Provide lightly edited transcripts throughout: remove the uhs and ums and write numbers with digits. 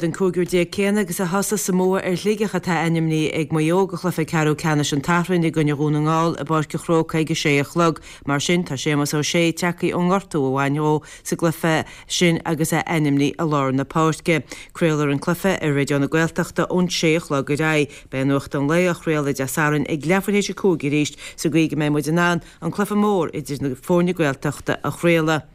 An cúigear céanna agus a thosaigh sa mbua ar Shligeach atá ainmnithe ag Maigh Eo do chluiche ceathrú ceannais an tSathairn i gcoinne Dhún na nGall i bPáirc an Chrócaigh ag a sé a chlog. Mar sin, tá Séamus Ó Sé tagtha ón ngortú a bhain dhó sa gcluiche sin agus é ainmnithe i lár na páirce. Craolfar an cluiche ar Raidió na Gaeltachta ón sé a chlog ar aghaidh. Beidh Nuacht an Lae á chraoladh Dé Sathairn ag leathuair théis a 5 arís sa gcaoi go mbeidh muid in ann an cluiche mór idir na foirne Gaeltachta a chraoladh.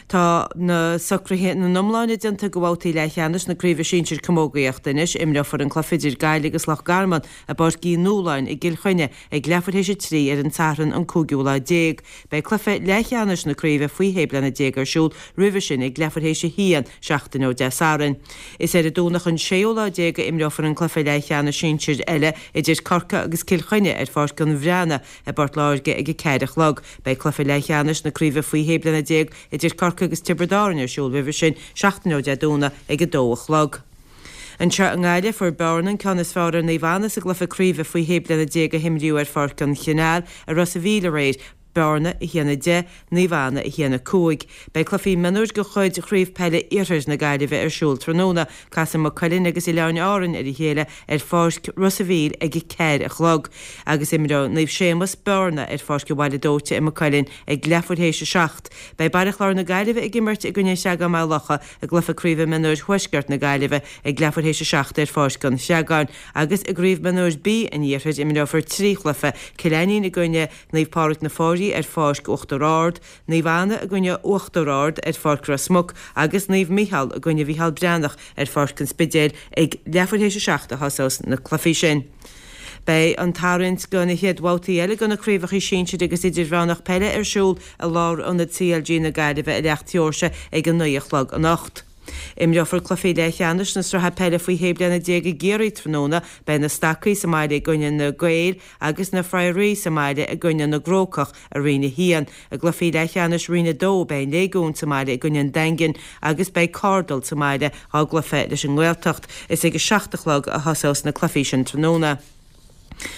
Tá na socruithe ina n-iomláine déanta do bhabhtaí leathcheannais na Craoibhe Sinsir Camógaíochta anois. Imreofar an cluiche idir Gaillimh agus Loch Garman i bPáirc Uí Nualláin i gCill Chainnigh ag leathuair théis a 3 ar an Satharn an cúigiú lá déag. Beidh cluiche leathcheannais na craoibhe faoi shé bliana déag ar siúl roimhe sin ag leathuair théis a haon seachtain ó Dé Sathairn. Is ar an Domhnach an séú lá déag a imreofar an cluiche leathcheannais sinsir eile idir Corcaigh agus Cill Chainnigh ar Pháirc an Bhreathnaigh I bPort Láirge ag a ceathair a chlog. Beidh cluiche leathcheannais na craoibhe faoi shé bliana déag idir Corcaigh agus Tiobraid Árann ar siúl roimhe sin seachtain ó Dé Domhnaigh ag a dó a chlog. Anseo i nGaillimh, fuair Bearna an ceann is fearr ar Naomh Anna sa gcluiche craoibhe faoi shé bliana déag a himríodh ar Pháirc an Chanáil i Ros a' Mhíl aréir, Bearna 1, 10, Naomh Anna 1, 5. Beidh cluichí mionúir de chuid Chraobh Peile Iarthair na Gaillimhe ar siúl tráthnóna. Casfaidh Maigh Cuilinn agus Oileáin Árann ar a chéile ar pháirc Ros a' Mhíl ag a ceathair a chlog agus imreoidh Naomh Séamus, Bearna ar Pháirc an Bhaile Dóite i Maigh Cuilinn ag leathuair théis a 7. Beidh Baile Chláir na Gaillimhe ag imirt i gcoinne an Chreagáin Maigh Locha i gcluiche craoibhe mionúir Thuaisceart na Gaillimhe ag leathuair théis a 7 ar Pháirc an Chreagáin agus i gCraobh Mionúir B an Iarthair imreofar 3 chluiche, Cill Ainnín i gcoinne Naomh Pádraig na Foraí ar Pháirc Uachtar Ard, Naomh Anna i gcoinne Uachtar Ard ar Pháirc Ros Muc agus Naomh Micheál i gcoinne Mhícheál Breathnach ar Pháirc an Spidéil ag leathuair théis a 7 a thosós na cluichí sin. Beidh an tarraingt do na chéad bhabhtaí eile de na craobhacha sinsir agus idirmheánach peile ar siúl i Lárionad CLG na Gaillimhe i Leacht Sheoirse ag a 9 a chlog anocht. Imreofar cluichí leathcheannais na sraithe peile faoi shé bliana déag i gCiarraí tráthnóna. Beidh na Stacaigh sa mbaile i gcoinne na Gaeil agus na Friarthaí sa mbaile i gcoinne na gCrócach i Roinn 1. I gcluichí leathcheannais Roinn 2 beidh an Léigiún sa mbaile i gcoinne an Daingin agus beidh Cardal sa mbaile dhá gcluiche leis an nGaeltacht. Is ag a 7 a chlog a thosós na cluichí sin tráthnóna.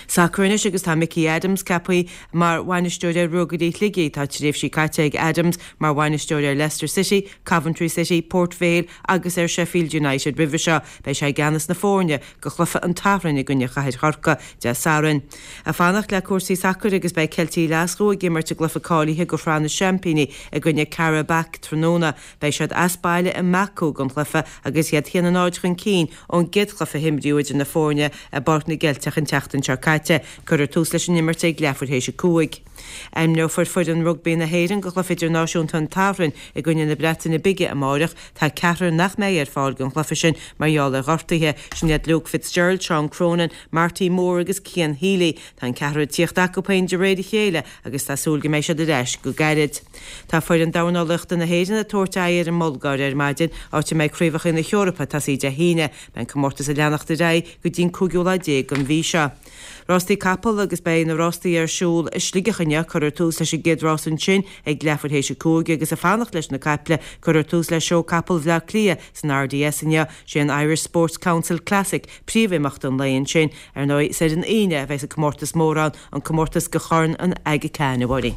Sacar anois agus tá Mickey Adams ceaptha mar bhainisteoir ar Ruagairí Shligigh. Tá tréimhsí caite ag Adams mar bhainisteoir ar Leicester City, Coventry City, Port Vale agus ar Sheffield United roimhe seo. Beidh sé i gceannas na foirne do chluiche an tSathairn i gcoinne Chathair Chorcaí Dé Sathairn. Ag fanacht le cúrsaí sacair agus beidh Ceiltigh Ghlaschú ag imirt i gcluiche cáilithe do Shraith na Seaimpíní i gcoinne Qarabag tráthnóna. Beidh siad as baile i mBaku don chluiche agus iad 1-0 chun cinn ón gcéad chluiche a himríodh idir na foirne i bPáirc na gCeilteach an tseachtain seo caite. Cuirfear tús leis an imirt ag leathuair théis a 5. Ainmneofar foireann rugbaí na hÉireann do chluiche idirnáisiúnta an tSathairn i gcoinne na Breataine Bige amáireach. Tá ceathrar nach mbeidh ar fáil don chluiche sin mar gheall ar ghortuithe. Sin iad Luke Fitzgerald, Seán Cronin, Marty Moore agus Cian Healy. Tá an ceathrar ag tíocht acu féin de réir a chéile agus tá súil go mbeidh siad ar ais go gairid. Tá foireann dornálaíochta na hÉireann ag tabhairt aghaidh ar an mBulgáir ar maidin, áit a mbeidh Craobhacha na hEorpa ag tosaí Dé hAoine. Beidh an comórtas ag leanacht ar aghaidh go dtí an cúigiú lá déag den mhí seo. Rástaí capall agus beidh na rástaí ar siúl i Sligeach inniu. Cuirfear tús leis an gcéad rás ansin ag leathuair théis a 5 agus ag fanacht leis na caiple, cuirfear tús le Seó Capall Bhaile Átha Cliath san RDS inniu. Sé an Irish Sports Council Classic príomhimeacht an lae ansin. Ar ndóigh, is ar an Aoine a bheas an comórtas mór ann, an comórtas do Chorn an Aga Khan, a Mháirín.